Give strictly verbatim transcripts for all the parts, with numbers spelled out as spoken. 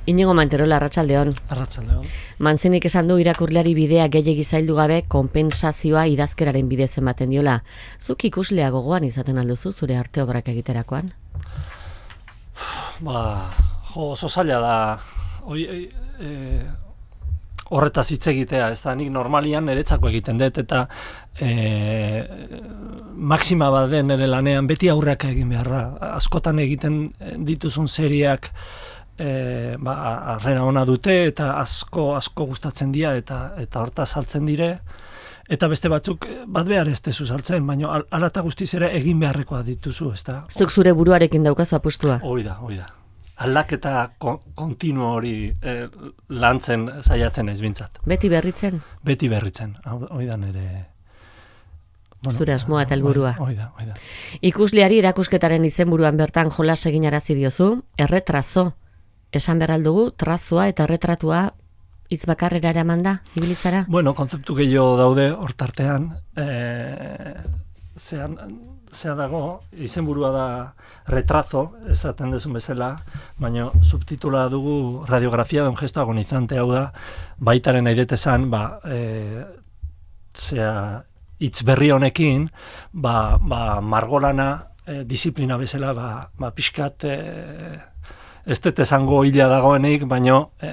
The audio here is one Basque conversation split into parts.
Inigo Manterola, arratsaldeon. Arratsaldeon. Manzinik esan du irakurleari bidea gehiegi zaildu gabe konpentsazioa idazkeraren bidez ematen diola. Zuk ikuslea gogoan izaten alduzu zure arte obrak egiterakoan? Ba, jo, oso zaila da. Oi, e, horretaz hitz egitea, ez da, nik normalian niretzako egiten dut, eta e, maxima bat den nire lanean beti aurreak egin beharra. Askotan egiten dituzun seriak e, ba, arrera ona dute, eta asko asko gustatzen dira, eta eta hortaz saltzen dire, eta beste batzuk bat behar ez dezu saltzen, baina hala eta guztiz ere egin beharrekoa dituzu, ez da. Zuk zure buruarekin daukazu apustua? Hoi da, hoi da. Aldaketa kontinuo hori eh, lantzen saiatzen ez bintzat. Beti berritzen? Beti berritzen, hoi da nire... Bueno, zure asmoa eta helburua. Hoi da, hoi da. Ikusleari erakusketaren izenburuan bertan jolas egin arazi diozu, erretrazo. Esan behar aldugu, trazoa eta erretratua hitz bakarrera eraman da, ibilizara? Bueno, kontzeptu gehiago daude hortartean, eh, zean, zea dago, izenburua da retrazo, esaten dezun bezala, baina subtitula dugu radiografia de un gesto agonizante, hau da, baitaren aidetezan, ba, e, zea, hitz berri honekin, ba, ba margolana, e, disiplina bezala, ba, ba pixkat, e, ez dut esango hila dagoenik, baina e,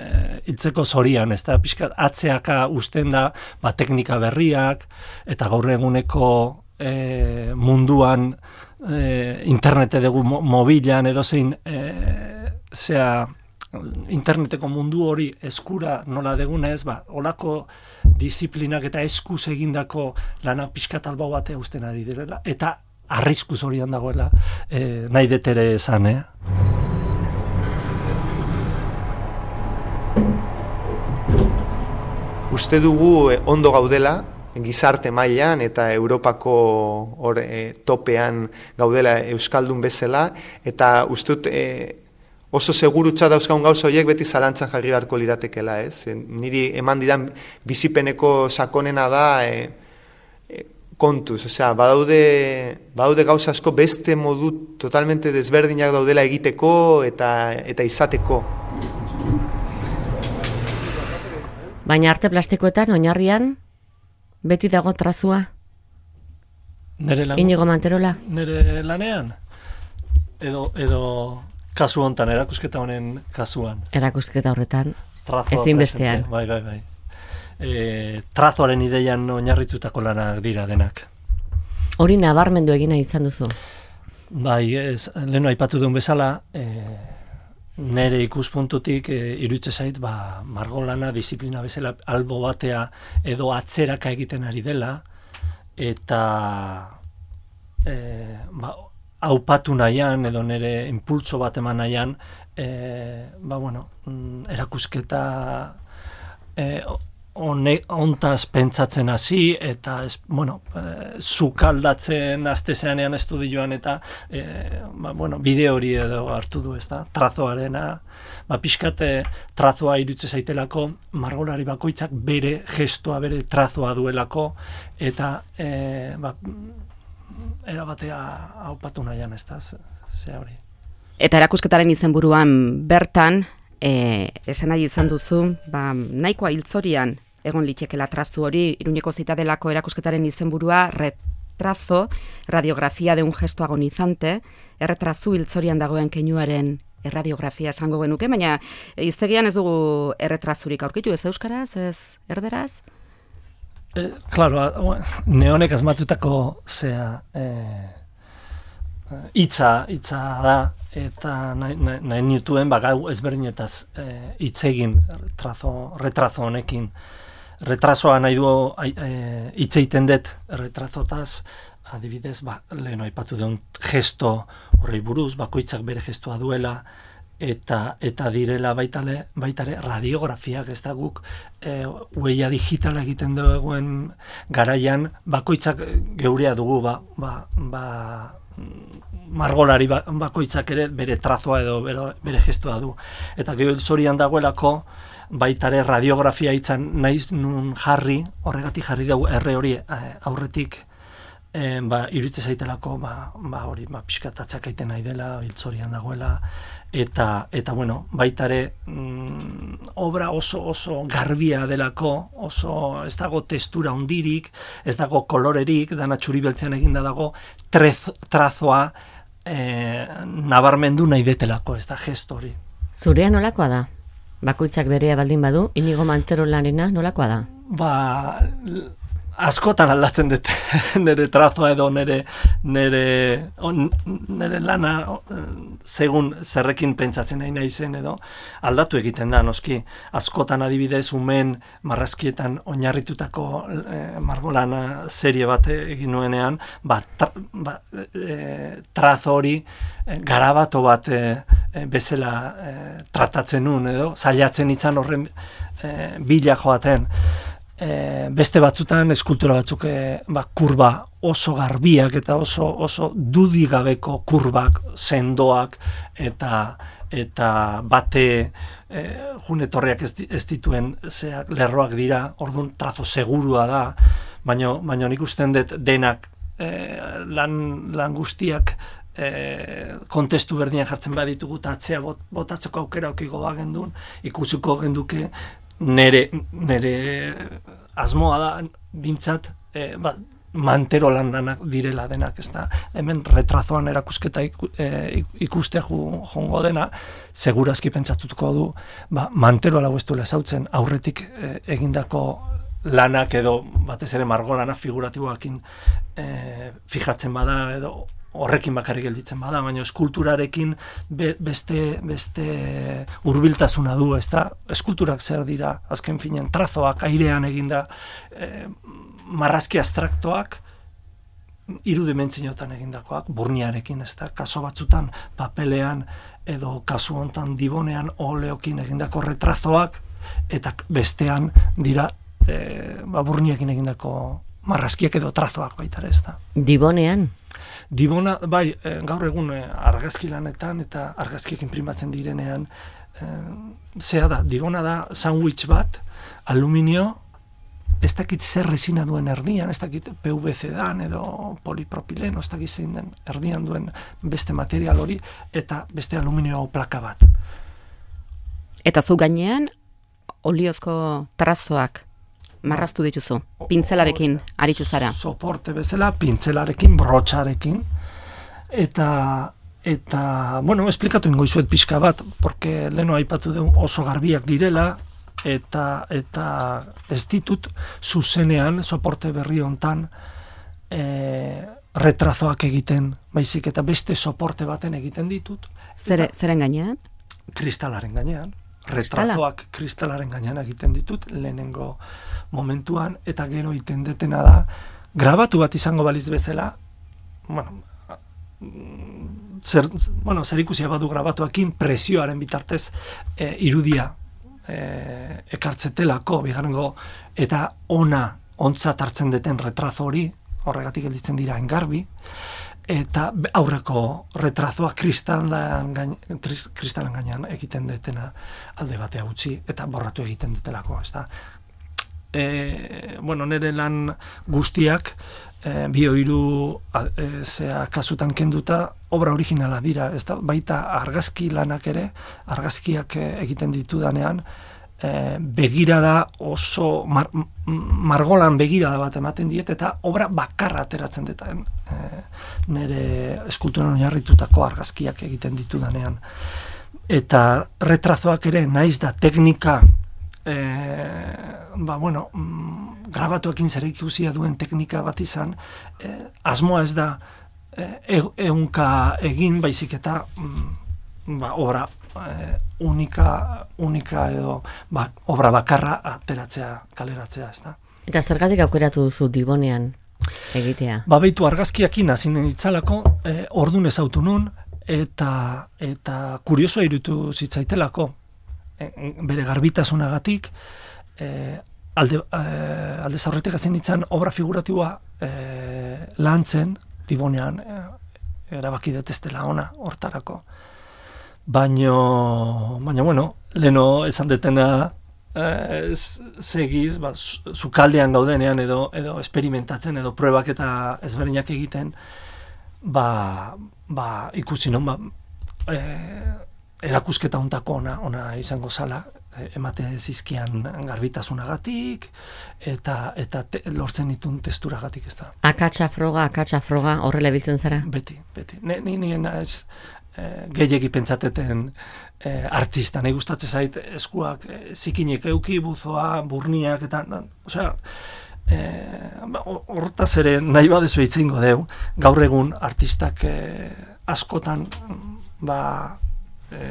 hiltzeko zorian, ez da, pixkat atzeaka usten da, ba, teknika berriak, eta gaur eguneko E, munduan e, internete dugu mo, mobilan edo zein e, zea interneteko mundu hori eskura nola degunez, ba, olako disiplinak eta eskuz egindako lana pixkat albo batea usten ari direla, eta arriskuz horian dagoela e, nahi detere esan, eh? Uste dugu eh, ondo gaudela, gizarte mailan eta Europako or, e, topean gaudela euskaldun bezala, eta ustut e, oso segurutza dauzkagun gauza horiek beti zalantzan jarri beharko liratekela, ez? E, niri eman didan bizipeneko sakonena da e, e, kontuz, osea, badaude, badaude gauza asko beste modu totalmente desberdinak daudela egiteko eta, eta izateko. Baina arte plastikoetan, oinarrian, beti dago trazua? Nere lan... Inigo Manterola? Nere lanean? Edo, edo kasu hontan, erakusketa honen kasuan? Erakusketa horretan, Trazoa ezin bestean. Bai, bai, bai. E, trazoaren ideian oinarritutako lanak dira denak. Hori nabarmendu egina izan duzu? Bai, ez, lehenu aipatu duen bezala, e, nere ikuspuntutik e, iruditze zait, ba, margolana, disiplina bezala albo batea edo atzeraka egiten ari dela, eta e, ba, aupatu nahian edo nere impultso bat eman nahian, e, ba, bueno, erakusketa e, ontaz pentsatzen hasi, eta ez, bueno, e, zukaldatzen astezeanean estudioan, eta e, ba, bueno, bide hori edo hartu du, ez da, trazoarena, ba, pixkate trazoa irutze zaitelako, margolari bakoitzak bere gestoa, bere trazoa duelako, eta e, ba, erabatea haupatu nahian, ez da, ze hori. Eta erakusketaren izenburuan bertan, E, esan nahi izan duzu, ba, nahikoa hiltzorian egon litekela trazu hori, Iruñeko Zitadelako erakusketaren izenburua retrazo, radiografia de un gesto agonizante, erretrazu hiltzorian dagoen keinuaren erradiografia esango genuke, baina hiztegian ez dugu erretrazurik aurkitu, ez euskaraz, ez erderaz? E, claro, neonek asmatutako zea hitza, e, hitza da, eta nahi, nahi, nahi nituen ba, gau ezberdinetaz hitz e, egin trazo, retrazo honekin. Retrazoa nahi du hitz e, egiten dut retrazotaz, adibidez, ba, lehen aipatu duen gesto horrei buruz, bakoitzak bere gestoa duela, eta eta direla baitale, baitare radiografiak, ez da guk e, huella digitala egiten duen garaian, bakoitzak geurea dugu, ba, ba, ba margolari bakoitzak ere bere trazoa edo bere, bere gestoa du. Eta gero zorian dagoelako baitare radiografia hitzan naiz nun jarri, horregatik jarri dugu erre hori aurretik e, ba, irutze zaitelako ba, ba hori ba, pixkatatzak aiten nahi dela, hiltzorian dagoela, eta, eta bueno, baitare mm, obra oso oso garbia delako, oso ez dago testura hundirik, ez dago kolorerik, dana txuri beltzean eginda dago, trez, trazoa e, nabarmendu nahi detelako, ez da gesto hori. Zurea nolakoa da? Bakoitzak berea baldin badu, Inigo Manterolarena nolakoa da? Ba, askotan aldatzen dut nire trazoa edo nire, nire, nire lana segun zerrekin pentsatzen nahi naizen edo aldatu egiten da, noski. Askotan adibidez umen marrazkietan oinarritutako e, margolana serie bat egin nuenean, ba, tra, ba, e, trazo hori e, garabato bat e, e, bezala e, tratatzen nun edo, zailatzen izan horren e, bila joaten. E, beste batzutan eskultura batzuk e, ba, kurba oso garbiak eta oso oso dudigabeko kurbak, sendoak eta eta bate e, junetorriak ez, ez dituen zeak, lerroak dira, orduan trazo segurua da, baina baina nik usten dut denak e, lan, lan guztiak e, kontestu berdian jartzen baditugu eta atzea bot, botatzeko aukera okiko bagendun, ikusiko genduke nere, nere asmoa da bintzat e, ba, Mantero lan lanak direla denak, ez da, hemen retrazoan erakusketa iku, e, ikustea jongo dena, segurazki pentsatutuko du, ba, Mantero lau ez duela ezautzen aurretik e, egindako lanak edo batez ere margolana figuratiboakin e, fijatzen bada edo horrekin bakarrik gelditzen bada, baina eskulturarekin be, beste, beste hurbiltasuna du, ez da, eskulturak zer dira, azken finean, trazoak, airean eginda, e, marrazki abstraktoak, hiru dimentsiotan egindakoak, burniarekin, ez da, kaso batzutan, papelean, edo kasu hontan dibonean, oleokin egindako retrazoak, eta bestean dira, e, ba, burniakin egindako marrazkiak edo trazoak baita ere, ez da. Dibonean? Dibona, bai, gaur egun argazki lanetan eta argazkiek inprimatzen direnean, e, zea da, dibona da sandwich bat, aluminio, ez dakit zer resina duen erdian, ez dakit P V C dan edo polipropileno, ez dakit zein den erdian duen beste material hori, eta beste aluminio plaka bat. Eta zu gainean, oliozko trazoak marraztu dituzu, pintzelarekin aritu zara. Soporte bezala, pintzelarekin, brotxarekin, eta, eta, bueno, esplikatu ingo izuet pixka bat, porque leno aipatu du oso garbiak direla, eta, eta ez ditut zuzenean, soporte berri hontan, e, retrazoak egiten, baizik eta beste soporte baten egiten ditut. Zere, zeren gainean? Kristalaren gainean. Retrazoak kristalaren gainean egiten ditut lehenengo momentuan, eta gero egiten detena da grabatu bat izango baliz bezala, bueno, zer, bueno, zer ikusia badu grabatuakin presioaren bitartez e, irudia e, ekartzetelako bigarrengo, eta ona ontzat hartzen deten retrazo hori, horregatik gelditzen dira engarbi, eta aurreko retrazoa kristalan gain, kristalan gainean egiten detena alde batea utzi eta borratu egiten detelako, ez da. E, bueno, nire lan guztiak e, bi hiru e, zea kasutan kenduta obra originala dira, ez da, baita argazki lanak ere, argazkiak egiten ditudanean, E, begirada oso mar, margolan begirada bat ematen diet eta obra bakarra ateratzen deten e, nire eskulturan oinarritutako argazkiak egiten ditudanean, eta retrazoak ere naiz da teknika e, ba bueno grabatuekin zer ikusia duen teknika bat izan, e, asmoa ez da e, ehunka egin, baizik eta ba, obra Eh, unika, unika edo ba, obra bakarra ateratzea, kaleratzea, ez da. Eta zergatik aukeratu duzu Dibonean egitea? Ba, beitu argazkiakin hasi nintzalako, eh, ordun ezautu nun, eta, eta kuriosoa irutu zitzaitelako, eh, bere garbitasunagatik, eh, alde, eh, alde zaurretik hasi nintzen obra figuratiboa eh, lantzen, Dibonean, eh, erabaki detestela ona hortarako. Baina, baina, bueno, leno esan detena eh, segiz, ba, sukaldean gaudenean edo, edo esperimentatzen edo pruebak eta ezberdinak egiten, ba, ba ikusi non, ba, eh, erakusketa hontako ona, ona izango zala, emate zizkian garbitasunagatik, eta, eta te, lortzen ditun testuragatik, ez da. Akatsa froga, akatsa froga, horrela biltzen zara? Beti, beti. Ne, ni nien ez e, gehiegi pentsateten e, artista, nahi gustatzen zait eskuak e, zikinek euki, buzoa, burniak, eta, na, osea, e, hortaz ere nahi badezu itzingo deu, gaur egun artistak e, askotan, ba, e,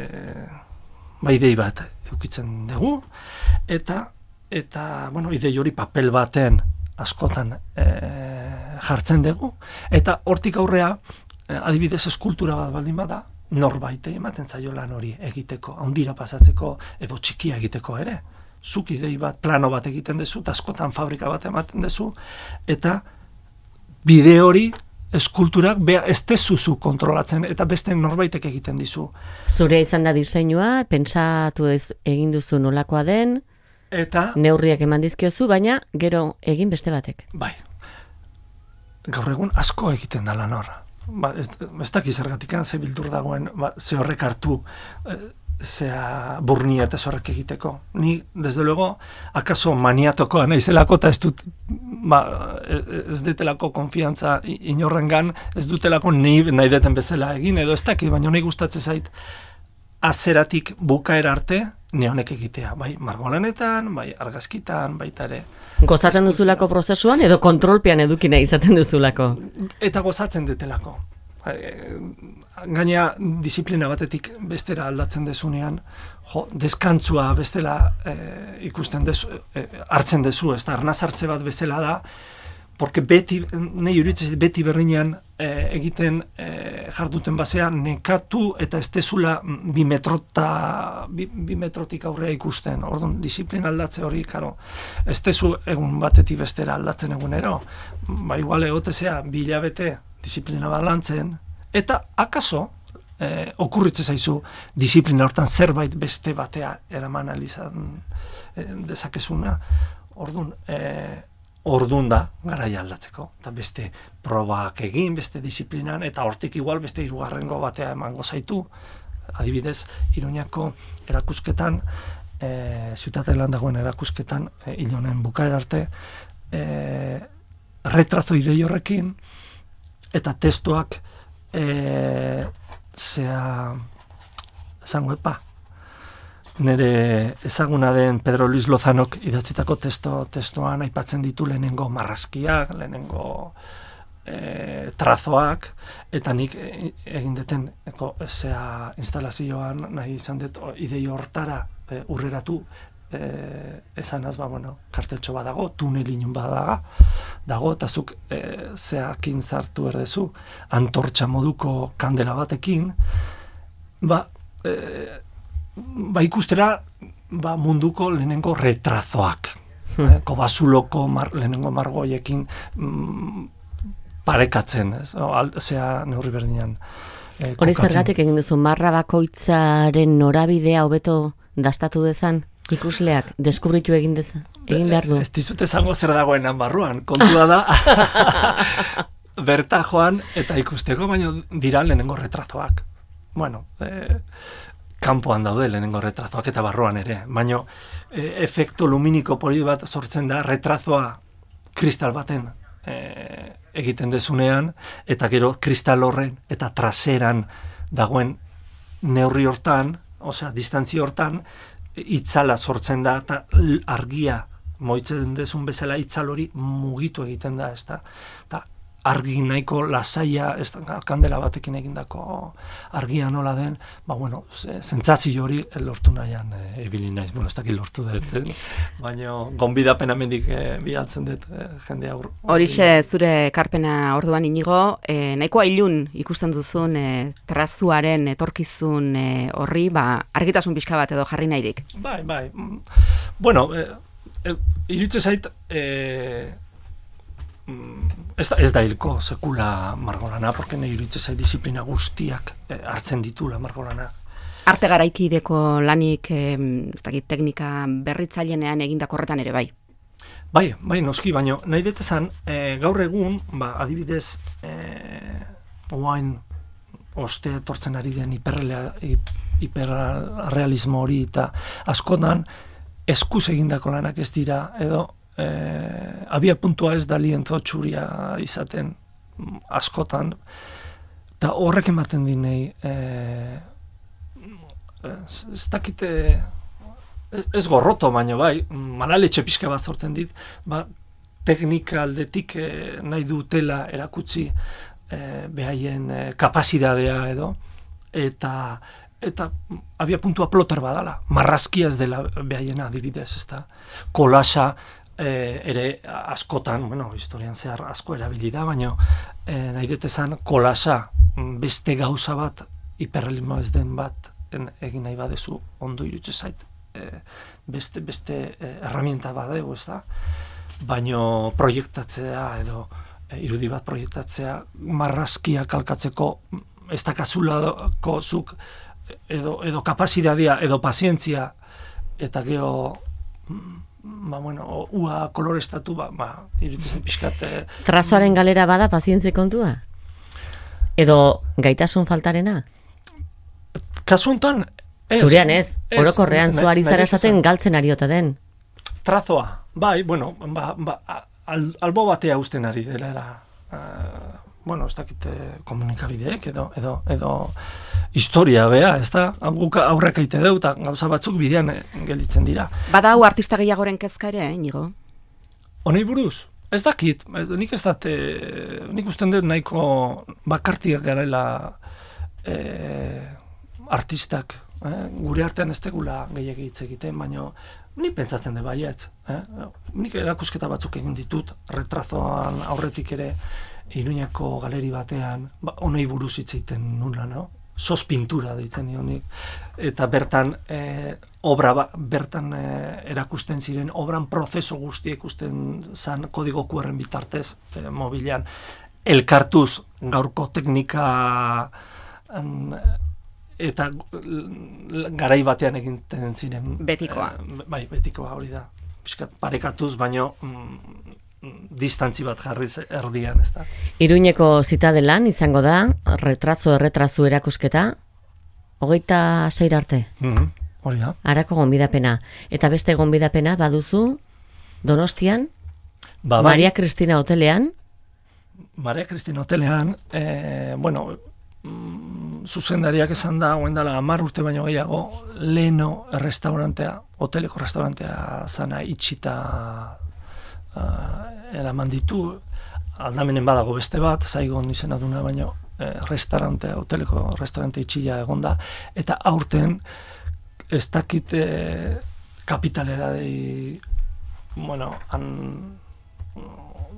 ba idei bat eukitzen dugu, eta, eta bueno, idei hori papel baten askotan e, jartzen dugu, eta hortik aurrea, e, adibidez eskultura bat baldin bada, norbait ematen zaio lan hori egiteko, handira pasatzeko, edo txikia egiteko ere. Zuk idei bat, plano bat egiten duzu, eta askotan fabrika bat ematen duzu, eta bide hori, eskulturak bea ez tezuzu kontrolatzen eta beste norbaitek egiten dizu. Zure izan da diseinua, pentsatu ez, egin duzu nolakoa den, eta neurriak eman dizkiozu, baina gero egin beste batek. Bai. Gaur egun asko egiten da lan horra. Ba, ez, ez dakiz zergatikan ze bildur dagoen, ba, ze horrek hartu, zea burnia eta zorrek egiteko. Ni, desde luego, akaso maniatokoa naizelako eta ez dut, ba, ez detelako konfiantza inorrengan, ez dutelako nahi, nahi deten bezala egin, edo ez dakit, baina nahi gustatzen zait, azeratik bukaera arte, neonek egitea, bai margolanetan, bai argazkitan, baita ere. Gozatzen duzulako prozesuan, edo kontrolpean edukina izaten duzulako? Eta gozatzen detelako. Gaina disiplina batetik bestera aldatzen dezunean, jo, deskantzua bestela e, ikusten dezu, e, hartzen dezu, ez da, arnaz hartze bat bezala da, porque beti, nahi uritzen beti berdinean e, egiten e, jarduten basean nekatu eta ez dezula bi, metrota, bi, bi metrotik aurrea ikusten. Orduan, disiplina aldatze hori, karo, ez dezu egun batetik bestera aldatzen egunero. Ba, igual egotezea, bi hilabete disiplina bat lantzen, eta akaso, eh, okurritze zaizu disiplina hortan zerbait beste batea eraman alizan eh, dezakezuna, orduan, eh, orduan da garaia aldatzeko, eta beste probak egin, beste disiplinan, eta hortik igual beste hirugarrengo batea emango zaitu, adibidez, Iruñako erakusketan, eh, Ziutatelan dagoen erakusketan, eh, hilonen bukaera arte, eh, retrazo idei horrekin, eta testuak e, zea esango epa nire ezaguna den Pedro Luis Lozanok idatzitako testo, testoan aipatzen ditu lehenengo marrazkiak, lehenengo e, trazoak, eta nik egin deten eko, zea instalazioan nahi izan dut idei hortara e, urreratu Eh, esanaz, ba, bueno, karteltxo bat dago, tunelin bat daga, dago, eta zuk eh, zeakin zartu erdezu, antortxa moduko kandela batekin, ba, eh, ba ikustera ba, munduko lehenengo retrazoak, hmm. eh, kobazuloko mar, lehenengo margoiekin mm, parekatzen, ez, o, al, zea neurri berdinean. Eh, Hori zergatik egin duzu, marra bakoitzaren norabidea hobeto dastatu dezan? Ikusleak, deskubritu egin deza, egin behar du. Ez dizut esango zer dagoen barruan, kontua da, berta joan eta ikusteko, baina dira lehenengo retrazoak. Bueno, e, kanpoan daude lehenengo retrazoak eta barruan ere, baina e, efektu luminiko poli bat sortzen da retrazoa kristal baten e, egiten dezunean, eta gero kristal horren eta traseran dagoen neurri hortan, osea, distantzia hortan, itzala sortzen da, eta argia moitzen dezun bezala itzal hori mugitu egiten da, ez da, eta argi nahiko lasaia, ez da, kandela batekin egindako argia nola den, ba, bueno, zentzazio hori lortu nahian e, ebili naiz, bueno, ez dakit lortu dut, baina gonbidapen amendik e, bialtzen dut e, jende aur. Horixe zure ekarpena orduan Inigo, e, nahikoa ilun ikusten duzun e, trazuaren etorkizun e, horri, ba, argitasun pixka bat edo jarri nahirik. Bai, bai, bueno, e, e, iritze zait, e, Ez da, ez da hilko sekula margolana, porque nahi iritze zai disiplina guztiak eh, hartzen ditula margolana. Arte garaikideko lanik, eh, ez dakit, teknika berritzailenean egindako horretan ere bai? Bai, bai, noski, baino nahi detezan, eh, gaur egun, ba, adibidez, eh, oain oste etortzen ari den hiperrelea, hiperrealismo hori, eta askotan eskuz egindako lanak ez dira, edo eh, abia puntua ez da lienzo txuria izaten askotan, eta horrek ematen dinei, eh, ez dakite, ez, ez gorroto baino bai, malaletxe pixka bat sortzen dit, ba, teknika aldetik eh, nahi dutela erakutsi eh, behaien eh, kapazidadea edo, eta eta abia puntua ploter badala, marrazkia ez dela behaiena adibidez, ezta? Kolasa eh, ere askotan, bueno, historian zehar asko erabili da, baina eh, nahi detezan kolasa beste gauza bat, hiperrealismo ez den bat, en, egin nahi badezu, ondo irutze zait, eh, beste, beste eh, herramienta badegu, ez da? Baina proiektatzea edo eh, irudi bat proiektatzea marrazkia kalkatzeko ez dakazulako zuk edo, edo kapazitatea, edo pazientzia, eta geho, ba, bueno, ua kolorestatu, ba, ba iruditzen pixkat... Eh, Trazoaren galera bada pazientzi kontua? Edo gaitasun faltarena? Kasu honetan, ez. Zurean ez, orokorrean zu ari zara esaten galtzen ariota den. Trazoa, bai, bueno, ba, ba, al, albo batea usten ari dela, uh, bueno, ez dakite komunikabideek, edo, edo, edo historia bea, ez da, guk aurrek eite deu, eta gauza batzuk bidean gelditzen dira. Bada hau artista gehiagoren kezka ere, Inigo? Honei buruz? Ez dakit, nik ez dut, nik usten dut nahiko bakartiak garela eh, artistak, eh? Gure artean ez tegula gehiagi hitz egiten, baina nik pentsatzen dut baietz. Eh? Nik erakusketa batzuk egin ditut, retrazoan aurretik ere, Iruñako galeri batean, ba, honei buruz hitz egiten nula, no? Sos pintura deitzen nionik, eta bertan eh, obra ba, bertan eh, erakusten ziren, obran prozeso guztia ikusten zan kodigo Q R-en bitartez eh, mobilean, elkartuz gaurko teknika an, eta garai batean egiten ziren. Betikoa. Eh, bai, betikoa hori da. Piskat parekatuz, baino mm, distantzi bat jarriz erdian, ez da. Iruñeko zitadelan izango da, retrazo erretrazu erakusketa, hogeita seir arte. Mm-hmm. Hori da. Arako gonbidapena. Eta beste gonbidapena baduzu Donostian, ba, bai. Maria Cristina hotelean. Maria Cristina hotelean, eh, bueno, mm, zuzendariak esan da, oen dela hamar urte baino gehiago, leno restaurantea, hoteleko restaurantea zana itxita uh, eraman ditu, aldamenen badago beste bat, Saigon izena duna, baino eh, restaurantea, hoteleko restaurante itxila egonda, eta aurten ez dakit eh, kapitaledadei, bueno, han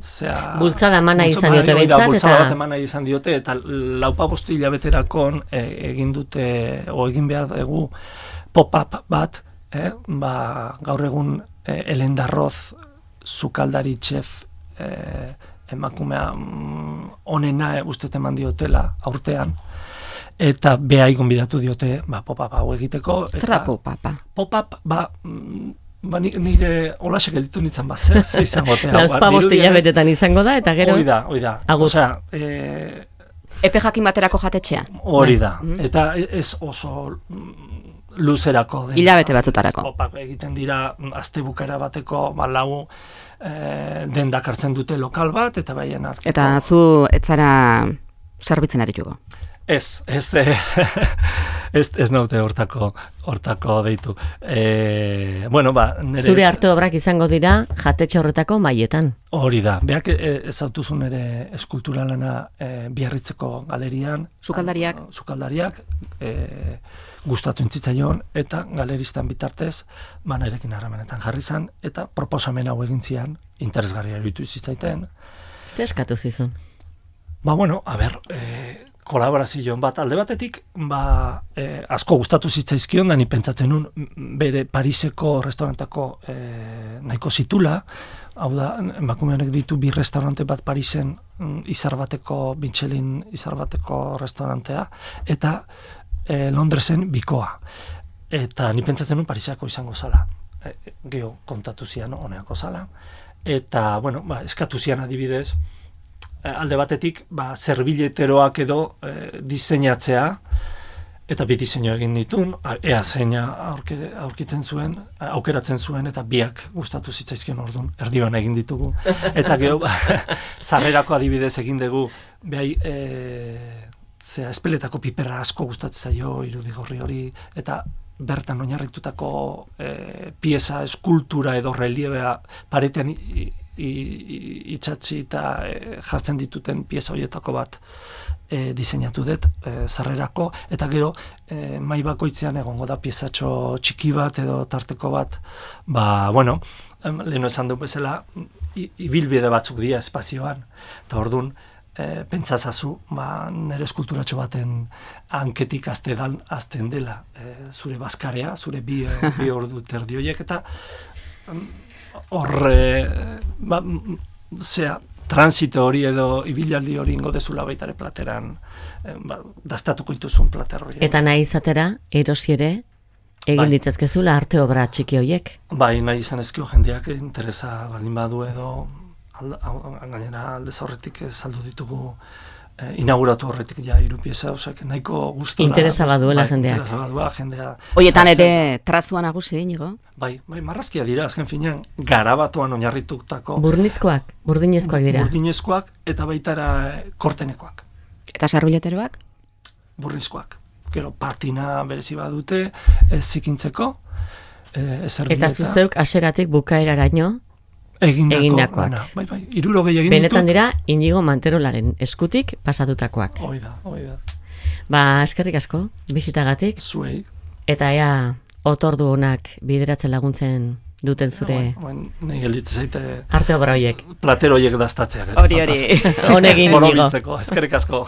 zea... Bultzada emana izan diote behintzat, eta... Bultzada bat emana izan diote, eta laupa bostu hilabeterakon e, egin dute, o egin behar dugu pop-up bat, eh? Ba, gaur egun e, Elen Darroz, sukaldari txef, e, emakumea onena e, ustet eman diotela aurtean, eta behai gonbidatu diote ba, pop-up hau egiteko. Zer da pop-upa? Pop-up, ba... Ba, nire holasek elitu nintzen bat, ze, ze izango tea. Lauzpa bost hilabetetan izango da, eta gero... Hori da, hori da. Osea, e... Epe jakin baterako jatetxea. Hori da. Eta ez oso luzerako. Hilabete batzutarako. Opak egiten dira, astebukera bateko, ba, lau e, dendak hartzen dute lokal bat, eta baien hartzeko. Eta zu etzara zerbitzen arituko. Ez, ez, eh, ez, ez naute hortako, hortako deitu. E, bueno, ba, nere... Zure arte obrak izango dira jatetxe horretako maietan. Hori da. Beak ez autuzun ere eskulturalana e, Biarritzeko galerian. Sukaldariak. A, sukaldariak, e, gustatu intzitzaion, eta galeristan bitartez, banarekin harremanetan jarri zan, eta proposamen hau egin zian, interesgarria iruditu zitzaiten. Ze eskatu zizun? Ba, bueno, a ber... E, kolaborazioan bat, alde batetik, ba, eh, asko gustatu zitzaizkion, da ni pentsatzen nun, bere Pariseko restaurantako eh, nahiko zitula, hau da, emakumeanek ditu bi restaurante bat Parisen, izar bateko, Michelin izar bateko restaurantea, eta eh, Londresen bikoa. Eta ni pentsatzen nun Parisako izango zala. E, geho kontatu zian honeako zala. Eta, bueno, ba, eskatu zian adibidez, alde batetik, ba, zerbileteroak edo e, diseinatzea, eta bi diseinu egin ditun, ea zeina aurkitzen zuen, aukeratzen zuen, eta biak gustatu zitzaizkion orduan, erdibana egin ditugu. Eta gero, sarrerako adibidez egin dugu, behai, e, zera, espeletako piperra asko gustatzen zaio, irudigorri hori, eta bertan oinarritutako e, pieza, eskultura edo reliebea paretean itxatzi eta e, jartzen dituten pieza horietako bat e, diseinatu dut, e, sarrerako, eta gero e, mai bakoitzean egongo da piezatxo txiki bat edo tarteko bat, ba, bueno, leheno esan du bezala, ibilbide batzuk dira espazioan, eta orduan, E, pentsazazu, ba, nire eskulturatxo baten hanketik aztedan azten dela e, zure bazkarea, zure bi, bi ordu terdi horiek, eta horre, ba, zera, transito hori edo ibilaldi hori ingo dezula baitare plateran, e, ba, dastatuko ituzun plater hori. Eta nahi izatera, erosi ere, egin bai. Ditzazkezula arte obra txiki horiek? Bai, nahi izan ezkio jendeak interesa baldin badu edo, gainera aldez horretik saldu ditugu eh, inauguratu horretik ja hiru pieza, osak nahiko gustoa. Interesa baduela jendeak. Interesa badua jendea. Hoietan ere trazua nagusi Inigo? Bai, bai, marrazkia dira, azken finean, garabatuan oinarritutako. Burnizkoak, burdinezkoak dira. Burdinezkoak eta baitara kortenekoak. Eta sarbileteroak? Burnizkoak. Gero patina berezi badute, ez zikintzeko. Eh, eta zuzeuk haseratik bukaeraraino Egindako, egindakoak. Bana, bai, bai, irurogei egin ditut. Benetan dira, Inigo Manterolaren eskutik pasatutakoak. Hoi da, hoi da. Ba, eskerrik asko, bizitagatik. Zuei. Eta ea, otordu honak bideratzen laguntzen duten zure... Ja, nahi gelditzen zaite... Arte obra horiek. Platero horiek daztatzeak. Hori, hori. Honegin, Inigo. Eskerrik asko.